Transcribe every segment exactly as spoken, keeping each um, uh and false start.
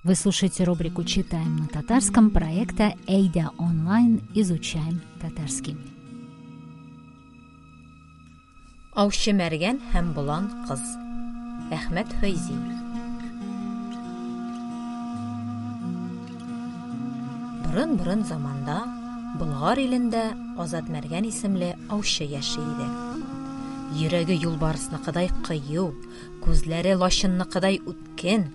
Вы слушаете рубрику «Читаем на татарском» проекта «Әйдә онлайн. Изучаем татарский». Аучы Мәргән һәм Болан кыз. Әхмәт Фәйзи. Борын-борын заманда Болгар илендә Азат Мәргән исемле аучы яши иде. Йөрәге юлбарысныкыдай кыю, күзләре лачынныкыдай үткен,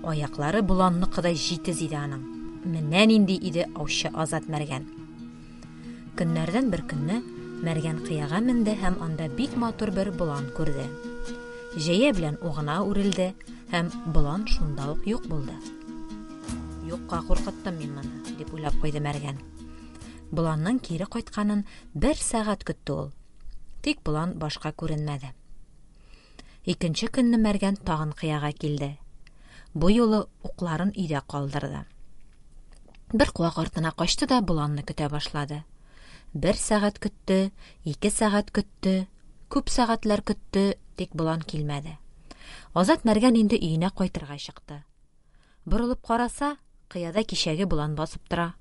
аяклары боланныкыдай җитез иде аның. Менә нинди иде аучы Азат Мәргән. Көннәрдән бер көнне Мәргән кыяга менде һәм анда бик матур бер болан күрде. Җәя белән угына үрелде һәм болан шунда ук юк булды. Юкка куркыттым мин моны, дип уйлап куйды Мәргән. Боланның кире кайтканын бер сәгать көтте ул. Тик болан башка күренмәде. Икенче көнне Мәргән тагын кыяга килде. Бу юлы укларын өйдә калдырды. Бер куак артына качты да боланны көтә башлады. Бер сәгать көтте, ике сәгать көтте, күп сәгатьләр көтте, тик болан килмәде. Азат Мәргән инде өенә кайтырга чыкты. Борылып караса, кыяда кичәге болан басып тора.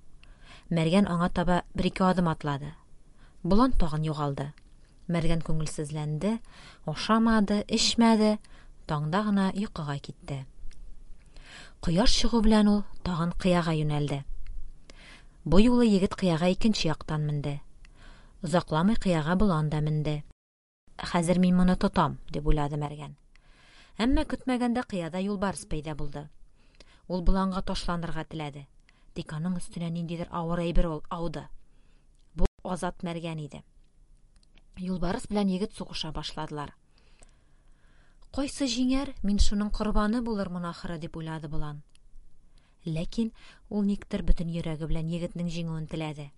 Мәргән аңа таба бер-ике адым атлады. Болан тагын югалды. Мәргән күңелсезләнде, ашамады, эчмәде, таңда гына йокыга китте. Кояш чыгу белән ул тагын кыяга юнәлде. Бу юлы егет кыяга икенче яктан менде. Озакламый кыяга болан да менде. Хәзер мин моны тотам, дип уйлады Мәргән. Әмма көтмәгәндә кыяда юлбарыс пәйда булды. Ул боланга ташланырга теләде. Тик аның өстенә ниндидер авыр әйбер ауды. Бу Азат Мәргән иде. Юлбарыс белән егет сугыша башладылар. Кайсы җиңәр, мин шуның корбаны булырмын ахыры, дип уйлады болан. Ләкин ул никтер бөтен йөрәге белән егетнең җиңүен теләде.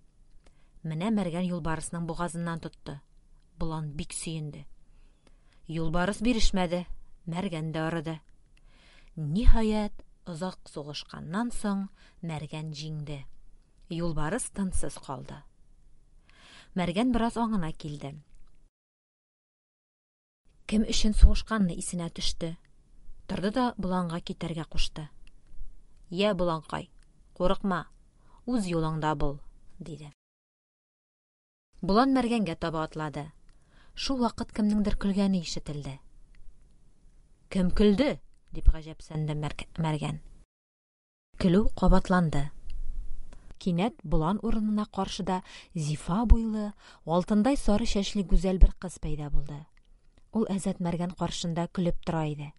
Менә Мәргән юлбарысның бугазыннан тотты. Болан бик сөенде. Юлбарыс бирешмәде, Мәргән дә арыды. Ниһаять, озак сугышканнан соң Мәргән җиңде. Юлбарыс тынсыз калды. Мәргән бераз аңына килде. Кем өчен сугышканны исенә төште. Торды да боланга китәргә кушты. Йә, боланкай, курыкма, үз юлыңда бул, диде. Болан Мәргәнгә таба атлады. Шул вакыт кемнеңдер көлгәне ишетелде. Кем көлде? дип гаҗәпсенде Мәргән. Көлү кабатланды. Кинәт болан урынына каршыда зифа буйлы, алтындай сары чәчле гүзәл бер кыз пәйда булды. Ул Азат Мәргән каршында көлеп тора иде.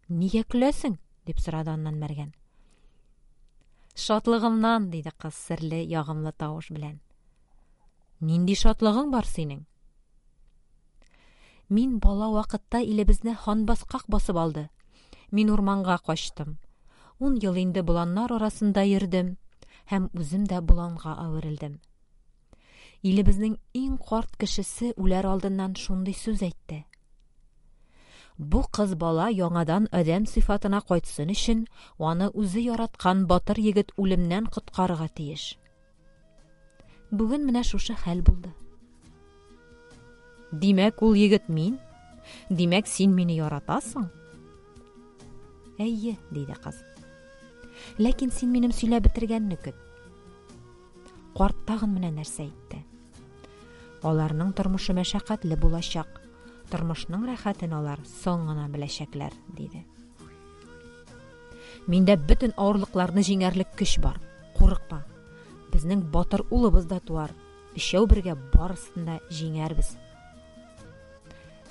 Нигә көләсең? дип сорады аннан Мәргән. Шатлыгымнан, диде кыз серле, ягымлы тавыш белән. Нинди шатлыгың бар синең? Мин бала вакытта илебезне ханбаскак басып алды. Мин урманга качтым. Ун ел инде боланнар арасында йөрдем һәм үзем дә боланга әверелдем. Илебезнең иң карт кешесе үләр алдыннан шундый сүз әйтте. Бу кыз бала яңадан адәм сыйфатына кайтсын өчен, аны үзе яраткан батыр егет үлемнән коткарырга тиеш. Бүген менә шушы хәл булды. Димәк, ул егет мин? Димәк, син мине яратасың? Әйе, диде кыз. Ләкин син минем сөйләп бетергәнне көт. Карт тагын менә нәрсә әйтте. Аларның тормышы мәшәкатьле булачак. Тормышның рәхәтен алар соң гына беләчәкләр, диде. Миндә бөтен авырлыкларны җиңәрлек көч бар. Курыкма. Безнең батыр улыбыз да туар. Өчәү бергә барысын да җиңәрбез.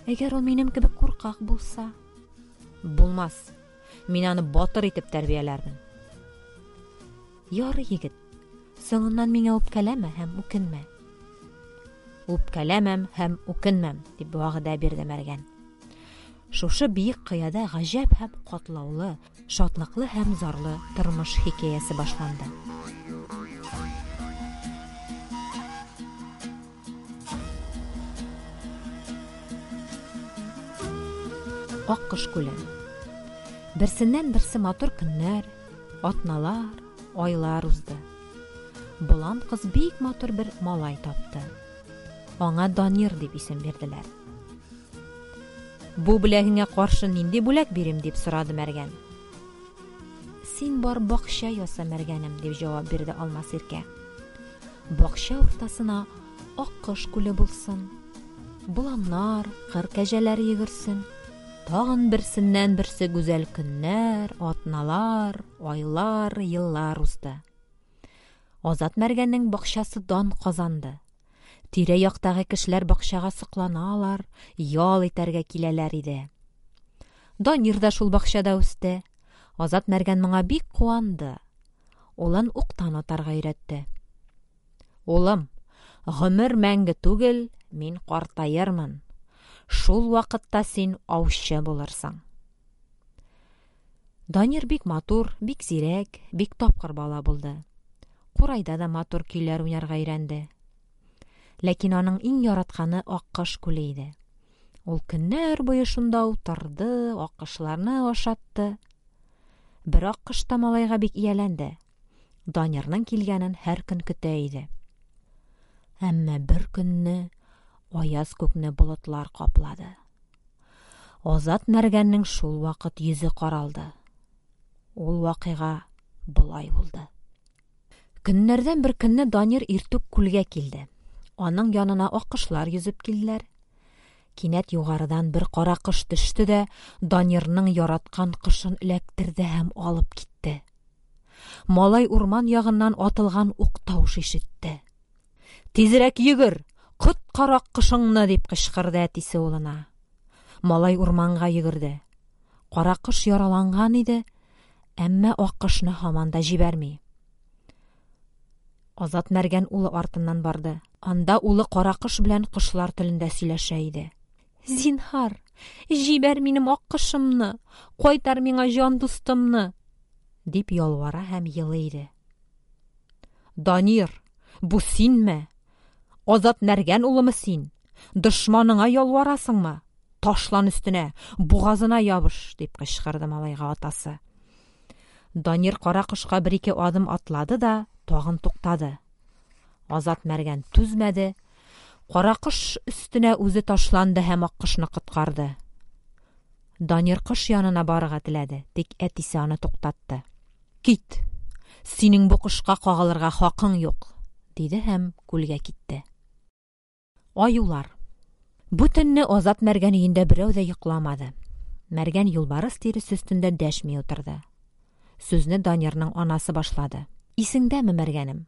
Әгәр ул минем кебек куркак булса? Булмас. Мин аны батыр итеп тәрбияләрмен. Ярый, егет. Соңыннан миңа үпкәләмә һәм үкенмә. Үпкәләмәм һәм үкенмәм, дип вәгъдә бирде Мәргән. Шушы биек кыяда гаҗәп һәм катлаулы, шатлыклы һәм зарлы тормыш хикәясе башланды. Аккош күле. Берсеннән берсе матур көннәр, атналар, айлар узды. Болан кыз бик матур бер малай тапты. Аңа Данир дип исем бирделәр. Бу бүләгеңә каршы нинди бүләк бирим дип сорады Мәргән. Син бар бакча яса, мәргәнем, дип җавап бирде Алмас Иркә. Бакча уртасына аккош күле булсын. Боланнар, кыр кәҗәләре йөгерсен. Тагын берсеннән берсе гүзәл көннәр, атналар, айлар, еллар узды. Азат Мәргәннең бакчасы дан казанды. Тирә-яктагы кешеләр бакчага сокланалар, ял итәргә киләләр иде. Данир да шул бакчада үсте. Азат Мәргән моңа бик куанды. Улын уктан атарга өйрәтте. Улым, гомер мәңге түгел, мин картаермын. Шул вакытта син аучы булырсың. Данир бик матур, бик зирәк, бик тапкыр бала булды. Курайда да матур көйләр уйнарга өйрәнде. Ләкин аның иң яратканы Аккош күле иде. Ул көннәр буе шунда утырды, аккошларны ашатты. Бер аккош та малайга бик ияләнде. Данирның килгәнен һәр көн көтә иде. Әмма бер көнне аяз күкне болытлар каплады. Азат Мәргәннең шул вакыт йөзе каралды. Ул вакыйга болай булды. Көннәрдән бер көнне Данир иртүк күлгә килде. Аның янына аккошлар йөзеп килделәр. Кинәт югарыдан бер кара кош төште дә Данирның яраткан кошын эләктерде һәм алып китте. Малай урман ягыннан атылган ук тавыш ишетте. Тизрәк йөгер, коткар аккошыңны, дип кычкырды әтисе улына. Малай урманга йөгерде. Кара кош яраланган иде, әмма аккошны һаман да җибәрми. Азат Мәргән улы артыннан барды. Анда улы кара кош белән кошлар телендә сөйләшә иде. Зинһар, җибәр минем аккошымны, кайтар миңа җан дустымны, дип ялвара һәм елый иде. Данир, бу синме? Азат Мәргән улымы син? Дошманыңа ялварасыңмы? Ташлан өстенә, бугазына ябыш, дип кычкырды малайга атасы. Данир кара кошка бер-ике адым атлады да тагын туктады. Азат Мәргән түзмәде, кара кош өстенә үзе ташланды һәм аккошны коткарды. Данир кош янына барырга теләде, тик әтисе аны туктатты. Кит! Синең бу кошка кагылырга хакың юк, диде һәм күлгә китте. Аюлар. Бу төнне Азат Мәргән өендә берәү дә йокламады. Мәргән юлбарыс тиресе өстендә дәшми утырды. Сүзне Данирның анасы башлады. Исеңдәме, Мәргәнем?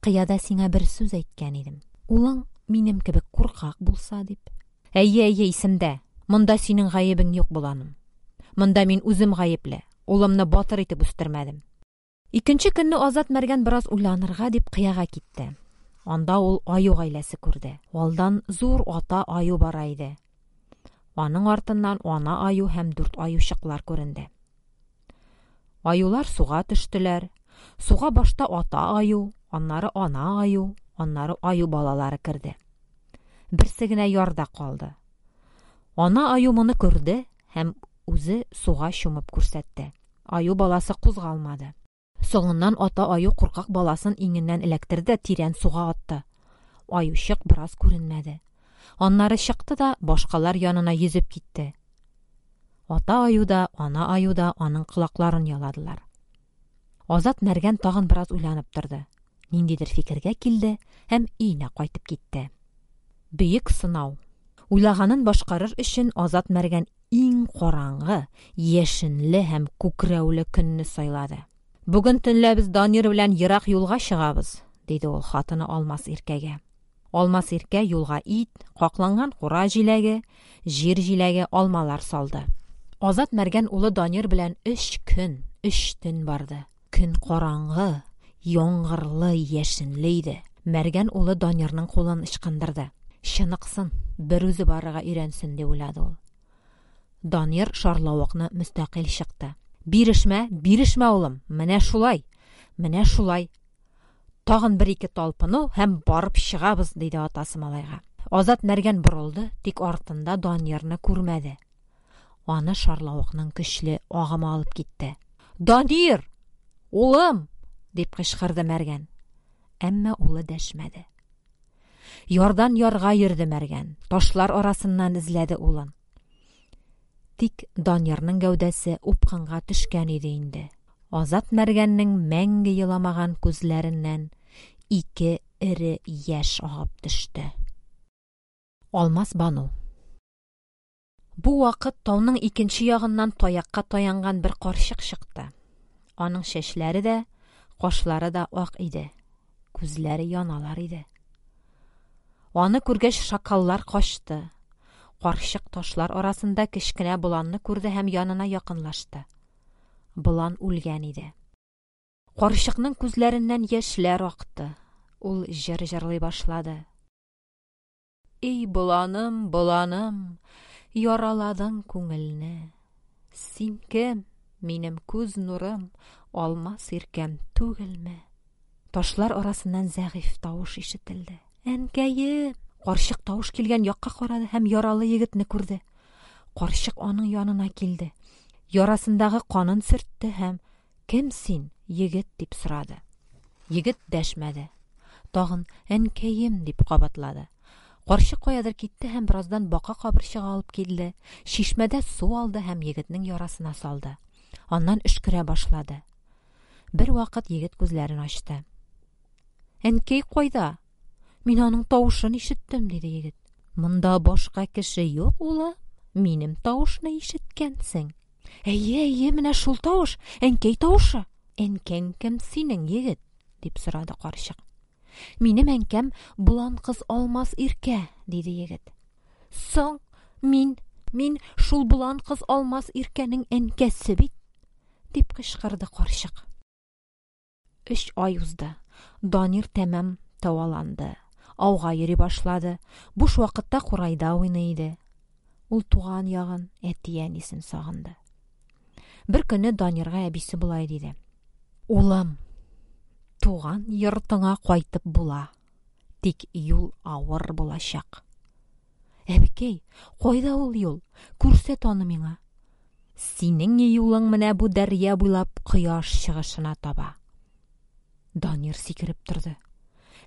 Кыяда сиңа бер сүз әйткән идем. Улың минем кебек куркак булса дип. Әйе, әйе, исемдә. Монда синең гаебең юк, баланым. Монда мин үзем гаепле. Улымны батыр итеп үстермәдем. Икенче көнне Азат Мәргән бераз уйланырга дип кыяга китте. Анда ул аю гаиләсе күрде. Алдан зур ата аю бара иде. Аның артыннан ана аю һәм дүрт аючыклар күренде. Аюлар суга төштеләр. Суга башта ата аю, аннары ана аю, аннары аю балалары керде. Берсе генә ярда калды. Ана аю моны күрде һәм үзе суга чумып күрсәтте. Аю баласы кузгалмады. Соңыннан ата аю куркак баласын иңеннән эләктерде, тирән суга атты. Аючык бераз күренмәде. Аннары чыкты да башкалар янына йөзеп китте. Ата аю да, ана аю да аның колакларын яладылар. Азат Мәргән тагын бераз уйланып торды. Ниндидер фикергә килде һәм өенә кайтып китте. Бөек сынау. Уйлаганын башкарыр өчен Азат Мәргән иң караңгы, яшенле һәм күкрәүле көнне сайлады. Бүген төнлә без Данир белән ерак юлга чыгабыз, диде ул хатыны Алмас Иркәгә. Алмас Иркә юлга ит, какланган кура җиләге, җир җиләге, алмалар салды. Азат Мәргән улы Данир белән өч көн, өч төн барды. Көн караңгы, яңгырлы, яшенле иде. Мәргән улы Данирның кулын ычкындырды. Чыныксын, бер үзе барырга өйрәнсен, дип уйлады ул. Данир шарлавыкны мөстәкыйль чыкты. Бирешмә, бирешмә, улым, менә шулай, менә шулай. Тагын бер-ике талпыну һәм барып чыгабыз, диде атасы малайга. Азат Мәргән борылды, тик артында Данирны күрмәде. Аны шарлавыкның көчле агымы алып китте. Данир! Улым! дип кычкырды Мәргән. Әмма улы дәшмәде. Ярдан ярга йөрде Мәргән, ташлар арасыннан эзләде улын. Тик Данирның гәүдәсе упкынга төшкән иде инде. Азат Мәргәннең мәңге еламаган күзләреннән ике эре яшь агып төште. Алмаз Бану. Бу вакыт тауның икенче ягыннан таякка таянган бер карчык чыкты. Аның чәчләре дә, кашлары да ак иде. Күзләре яналар иде. Аны күргәч, шакаллар качты. Карчык ташлар арасында кечкенә боланны күрде һәм янына якынлашты. Болан үлгән иде. Карчыкның күзләреннән яшьләр акты. Ул җыр җырлый башлады. Эй, боланым, боланым, яраладың күңелне. Син кем? Минем күз нурым, алмас иркәм түгелме? Ташлар арасыннан зәгыйфь тавыш ишетелде. Әнкәем! Карчык тавыш килгән якка карады һәм яралы егетне күрде. Карчык аның янына килде. Ярасындагы канын сөртте һәм «Кем син, егет?» дип сорады. Егет дәшмәде. Тагын «Әнкәем» дип кабатлады. Карчык каядыр китте һәм бераздан бака кабырчыгы алып килде. Чишмәдә су алды һәм егетнең ярасына салды. Аннан өшкерә башлады. Бер вакыт егет күзләрен ачты. «Әнкәй кайда? Мин аның тавышын ишеттем», диде егет. «Монда башка кеше юк, улым. Минем тавышны ишеткәнсең». «Әйе, әйе, менә шул тавыш, әнкәй тавышы». «Әнкәң кем синең, егет?» дип сорады карчык. «Минем әнкәм болан кыз Алмаз Иркә», диде егет. «Соң, мин, мин шул болан кыз Алмаз Иркәнең әнкәсе бит», дип кычкырды карчык. Өч ай узды. Данир тәмам дәваланды. Ауга йөри башлады. Буш вакытта курайда уйный иде. Ул туган ягын, әти-әнисен сагынды. Бер көнне Данирга әбисе болай диде: «Улым, туган йортыңа кайтып була, тик юл авыр булачак». «Әбекәй, кайда ул юл? Күрсәт аны миңа». «Синең юлың менә бу дәрья буйлап кояш чыгышына таба». Данир сикереп торды.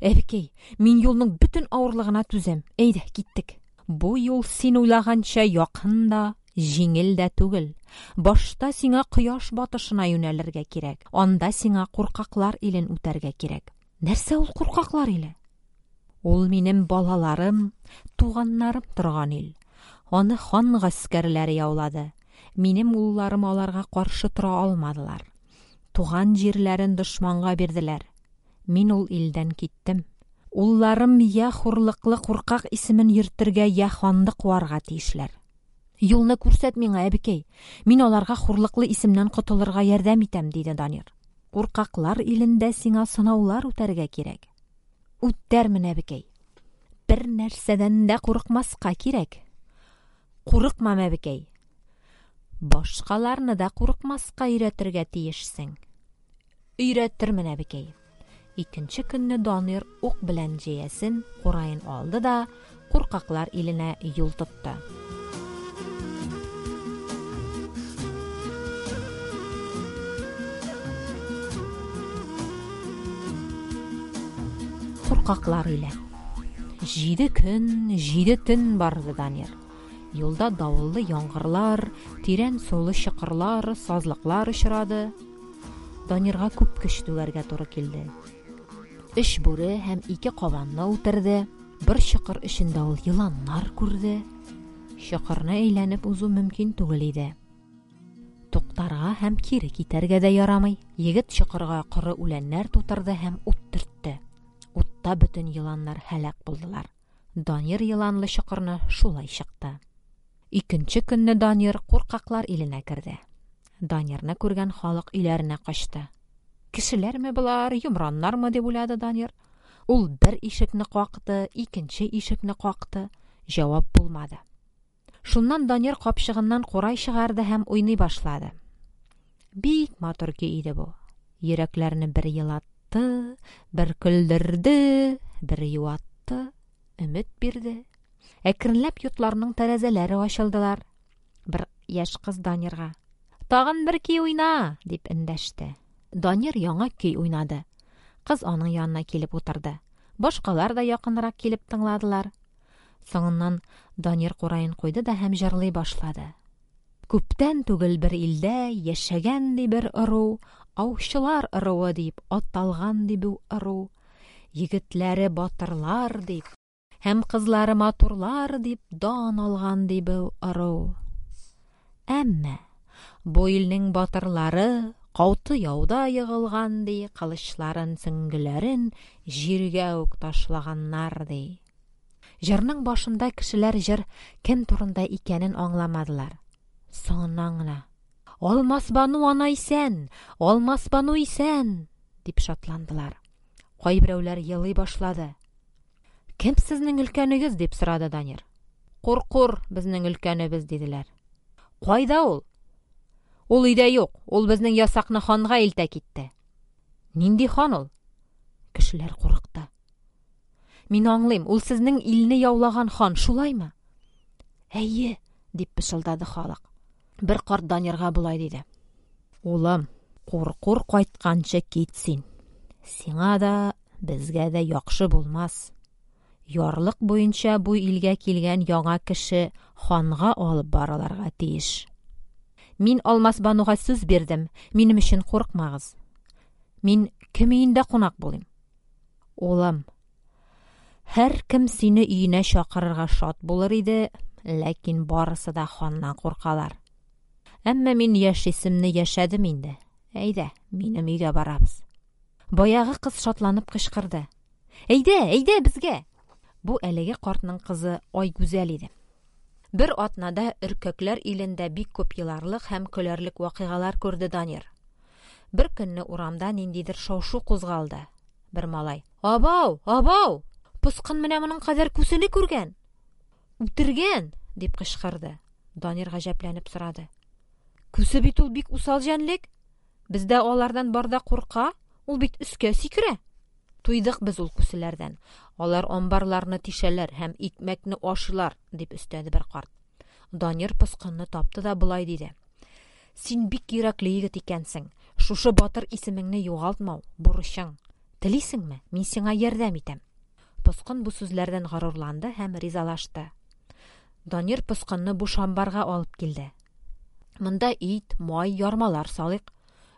«Әбекәй, мин юлның бөтен авырлыгына түзәм. Әйдә, киттек». «Бу юл син уйлаганча якын да, җиңел дә түгел. Башта сиңа кояш батышына юнәлергә кирәк. Анда сиңа куркаклар илен үтәргә кирәк». «Нәрсә ул куркаклар иле?» «Ул минем балаларым, туганнарым торган ил. Аны хан гаскәрләре яулады. Минем улларым аларга каршы тора алмадылар. Туган җирләрен дошманга бирделәр. Мин ул илдән киттем. Улларым я хурлыклы куркак исемен йөртергә, я ханны куарга тиешләр. Юлны күрсәт миңа, әбекәй. Мин аларга хурлыклы исемнән котылырга ярдәм итәм», диде Данир. «Куркаклар илендә сиңа сынаулар үтәргә кирәк». «Үтәрмен, әбекәй. Бер нәрсәдән дә курыкмаска кирәк». «Курыкмам, әбекәй. Башкаларны да курыкмаска өйрәтергә тиешсең». «Өйрәтермен, әбекәй». Икенче көнне Данир ук белән җәясен, кураен алды да куркаклар иленә юл тотты. Куркаклар иле. Җиде көн, җиде төн барды Данир. Юлда давыллы яңгырлар, тирән сулы чокырлар, сазлыклар очрады. Данирга күп көч түгәргә туры килде. Өч бүре һәм ике кабанны үтерде. Бер чокыр эчендә ул еланнар күрде. Чокырны әйләнеп узу мөмкин түгел иде. Туктарга һәм кире китәргә дә ярамый. Егет чокырга коры үләннәр тутырды һәм ут төртте. Утта бөтен еланнар һәлак булдылар. Данир еланлы чокырны шулай чыкты. Икенче көнне Данир куркаклар иленә керде. Данирны күргән халык өйләренә качты. «Кешеләрме болар, йомраннармы?» дип уйлады Данир. Ул бер ишекне какты, икенче ишекне какты. Җавап булмады. Шуннан Данир капчыгыннан курай чыгарды һәм уйный башлады. Бик матур көй иде бу. Йөрәкләрне бер елатты, бер көлдерде, бер юатты, өмет бирде. Әкренләп йортларның тәрәзәләре ачылдылар. Бер яшь кыз Данирга: «Тагын бер көй уйна!» дип эндәште. Данир яңа көй уйнады. Кыз аның янына килеп утырды. Башкалар да якынрак килеп тыңладылар. Соңыннан Данир кураен куйды да һәм җырлый башлады. Күптән түгел бер илдә яшәгән ди бер ыру, Аучылар ыруы дип аталган ди бу ыру. Егетләре батырлар дип һәм кызлары матурлар дип дан алган ди бу ыру. Әмма бу илнең батырлары кауты яуда егылган ди, кылычларын, сөңгеләрен җиргә үк ташлаганнар ди. Җырның башында кешеләр җыр кем турында икәнен аңламадылар. Соңыннан гына: "Алмасбану ана исән! Алмасбану исән!" дип шатландылар. Кайберәүләр елый башлады. "Кем сезнең өлкәнегез?" дип сорады Данир. "Куркур безнең өлкәнебез", диделәр. "Кайда ул?" "Ул өйдә юк. Ул безнең ясакны ханга илтә китте." "Нинди хан ул?" Кешеләр курыкты. "Мин аңлыйм, ул сезнең илне яулаган хан, шулаймы?" "Әйе", дип пышылдады халык. Бер карт Данирга болай диде: "Улым, Куркур кайтканчы кит син. Сиңа да, безгә дә яхшы булмас. Ярлык буенча бу илгә килгән яңа кеше ханга алып барылырга тиеш. Мин Алмасбануга сүз бирдем, минем өчен курыкмагыз. Мин кем өендә кунак булыйм?" "Улым, һәркем сине өенә чакырырга шат булыр иде, ләкин барысы да ханнан куркалар. Әмма мин яшисемне яшәдем инде. Әйдә, минем өйгә барабыз." Баягы кыз шатланып кычкырды: "Әйдә, әйдә безгә!" Бу әлеге картның кызы Айгүзәл иде. Бер атнада өркәкләр илендә бик күп еларлык һәм көләрлек вакыйгалар күрде Данир. Бер көнне урамда ниндидер шау-шу кузгалды. Бер малай: "Абау, абау! Поскын менә моның кадәр күсене күргән! Үтергән!" дип кычкырды. Данир гаҗәпләнеп сорады: "Күсе бит ул бик усал җәнлек. Бездә алардан бар да курка, ул бит өскә сикерә. Туйдык без ул күселәрдән. Алар амбарларны тишәләр һәм икмәкне ашыйлар", дип өстәде бер карт. Данир поскынны тапты да болай диде: "Син бик йөрәкле егет икәнсең. Шушы батыр исемеңне югалтмау бурычың. Телисеңме, мин сиңа ярдәм итәм." Поскын бу сүзләрдән горурланды һәм ризалашты. Данир поскынны буш амбарга алып килде. "Монда ит, май, ярмалар салыйк.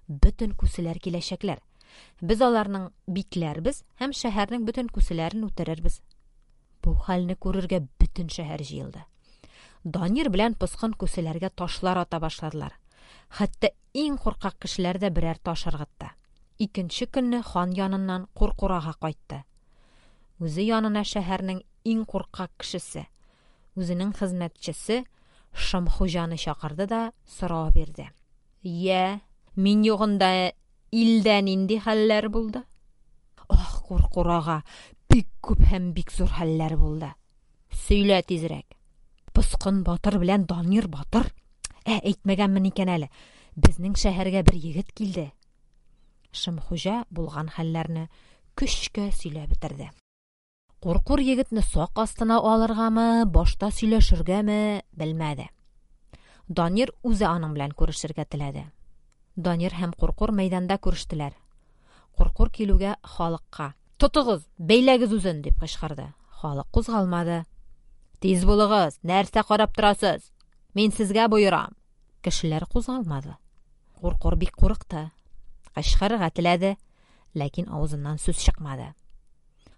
Бөтен күселәр киләчәкләр. Без аларның бикләрбез һәм шәһәрнең бөтен күселәрен үтерербез." Бу хәлне күрергә бөтен шәһәр җыелды. Данир белән поскын күселәргә ташлар ата башладылар. Хәтта иң куркак кешеләр дә берәр таш ыргытты. Икенче көнне хан яныннан Куркурага кайтты. Үзе янына шәһәрнең иң куркак кешесе, үзенең хезмәтчесе Шымхуҗаны чакырды да сорау бирде: "Йә, мин югында илдә нинди хәлләр булды?" "Ах, Куркурага, бик күп һәм бик зур хәлләр булды. Сөйлә тизрәк." "Поскын батыр белән Данир батыр, ә әйтмәгәнмен икән әле, безнең шәһәргә бер егет килде." Шымхуҗа булган хәлләрне көчкә сөйләп бетерде. Куркур егетне сак астына алыргамы, башта сөйләшергәме белмәде. Данир үзе аның белән күрешергә теләде. Данир һәм Куркур мәйданда күрештеләр. Куркур килүгә халыкка: "Тотыгыз, бәйләгез үзен!" дип кычкырды. Халык кузгалмады. "Тиз булыгыз, нәрсә карап торасыз? Мин сезгә боерам!" Кешеләр кузгалмады. Куркур бик курыкты. Кычкырырга теләде, ләкин авызыннан сүз чыкмады.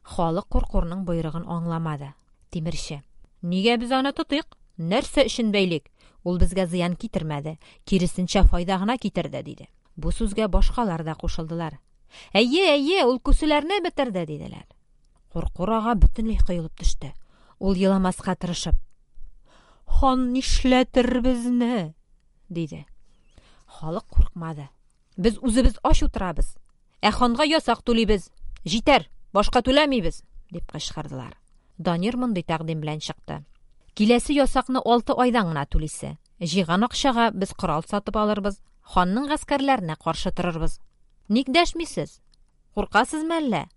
Халык Куркурның боерыгын аңламады. Тимерче: "Нигә без аны тотыйк? Нәрсә өчен бәйлик? Ул безгә зыян китермәде, киресенчә файда гына китерде", диде. Бу сүзгә башкалар да кушылдылар. "Әйе, әйе, ул күселәрне бетерде", диделәр. Куркур ага бөтенләй коелып төште. Ул еламаска тырышып: "Хан нишләтер безне?" диде. Халык куркмады. "Без үзебез ач утырабыз, ә ханга ясак түлибез. Җитәр, башка түләмибез", дип кычкырдылар. Данир мондый тәкъдим белән чыкты: "Киләсе ясакны алты айдан гына түлисе. Җыйган акчага без корал сатып алырбыз, ханның гаскәрләренә каршы торырбыз. Ник дәшмисез? Куркасызмы әллә?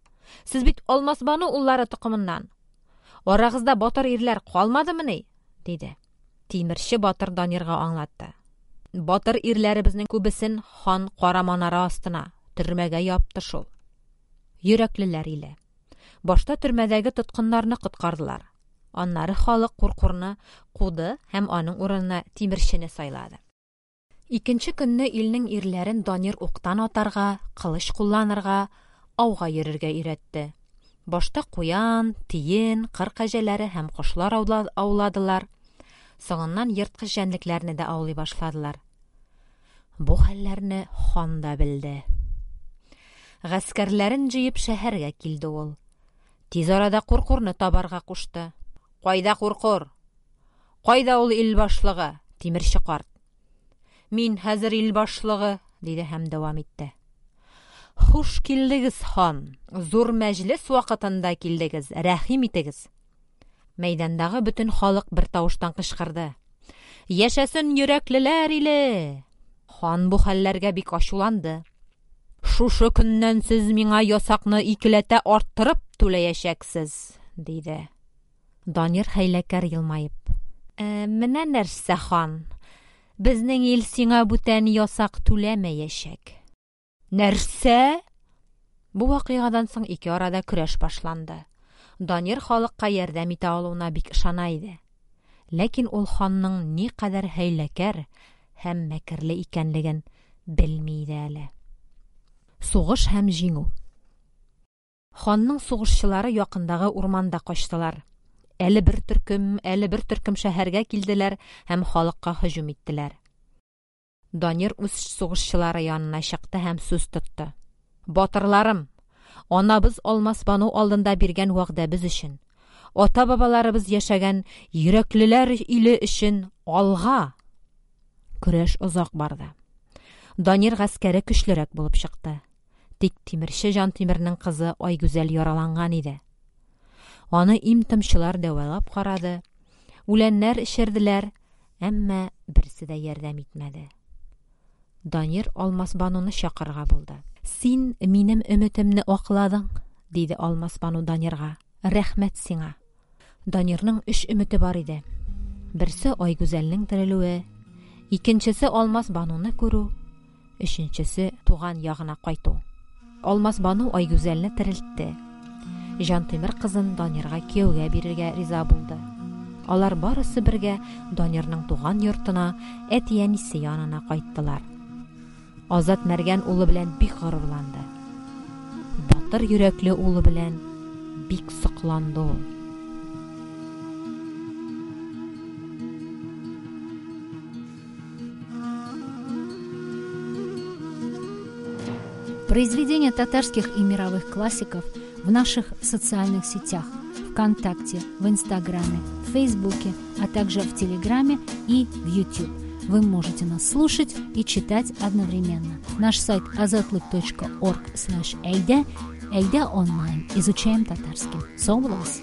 Сез бит Алмасбану уллары токымыннан. Арагызда батыр ирләр калмадымыни?" диде. Тимерче батыр Данирга аңлатты: "Батыр ирләребезнең күбесен хан кара манара астына, төрмәгә япты шул." Йөрәклеләр иле. Башта төрмәдәге тоткыннарны коткардылар. Аннары халык Куркурны куды һәм аның урынына тимерчене сайлады. Икенче көнне илнең ирләрен Данир уктан атарга, кылыч кулланырга, ауга йөрергә өйрәтте. Башта куян, тиен, кыр кәҗәләре һәм кошлар ауладылар. Соңыннан ерткыч җәнлекләрне дә аулый башладылар. Бу хәлләрне хан да белде. Гаскәрләрен җыеп шәһәргә килде ул. Тиз арада Куркурны табарга кушты. Кайда Куркур? Кайда ул ил башлыгы, тимерче карт? Мин хәзер ил башлыгы, диде һәм дәвам итте. Хуш килдегез, хан. Зур мәҗлес вакытында килдегез. Рәхим итегез. Мәйдандагы бөтен халык бер тавыштан кычкырды. Яшәсен йөрәклеләр иле! Хан бу хәлләргә бик ачуланды. Шушы көннән сез миңа ясакны икеләтә арттырып түләячәксез, диде. Данир хәйләкәр елмаеп. Ә, менә нәрсә, хан. Безнең ил сиңа бүтән ясак түләмәячәк. Нәрсә? Бу вакыйгадан соң ике арада көрәш башланды. Данир халыкка ярдәм итә алуына бик ышана иде. Ләкин ул ханның ни кадәр хәйләкәр һәм мәкерле икәнлеген белми иде әле. Сугыш һәм җиңү. Ханның сугышчылары якындагы урманда качтылар. Әле бер төркем, әле бер төркем шәһәргә килделәр һәм халыкка һөҗүм иттеләр. Данир үз сугышчылары янына чыкты һәм сүз тотты. Батырларым, анабыз Алмас Бану алдында биргән вәгъдәбез өчен, ата-бабаларыбыз яшәгән йөрәклеләр иле өчен алга! Көрәш озак барды. Данир гаскәре көчлерәк булып чыкты. Тик тимерче Җантимернең кызы Айгүзәл яраланган иде. Аны им-томчылар дәвалап карады, үләннәр эчерделәр, әмма берсе дә ярдәм итмәде. Данир Алмас Бануны чакырырга булды. Син минем өметемне акладың, диде Алмас Бану Данирга. Рәхмәт сиңа. Данирның өч өмете бар иде. Берсе Айгүзәлнең терелүе, икенчесе Алмас Бануны күрү, өченчесе туган ягына кайту. Алмас Бану Айгүзәлне терелтте. Җантимер кызын Данирга кияүгә бирергә риза булды. Алар барысы бергә Данирның туган йортына, әти-әнисе янына кайттылар. Азат Мәргән улы белән бик горурланды. Батыр йөрәкле улы белән бик сокланды ул. Произведения татарских и мировых классиков в наших социальных сетях ВКонтакте, в Инстаграме, в Фейсбуке, а также в Телеграме и в YouTube. Вы можете нас слушать и читать одновременно. Наш сайт азатлык точка орг слэш эйдэ. Эйдэ онлайн. Изучаем татарский. Соглас!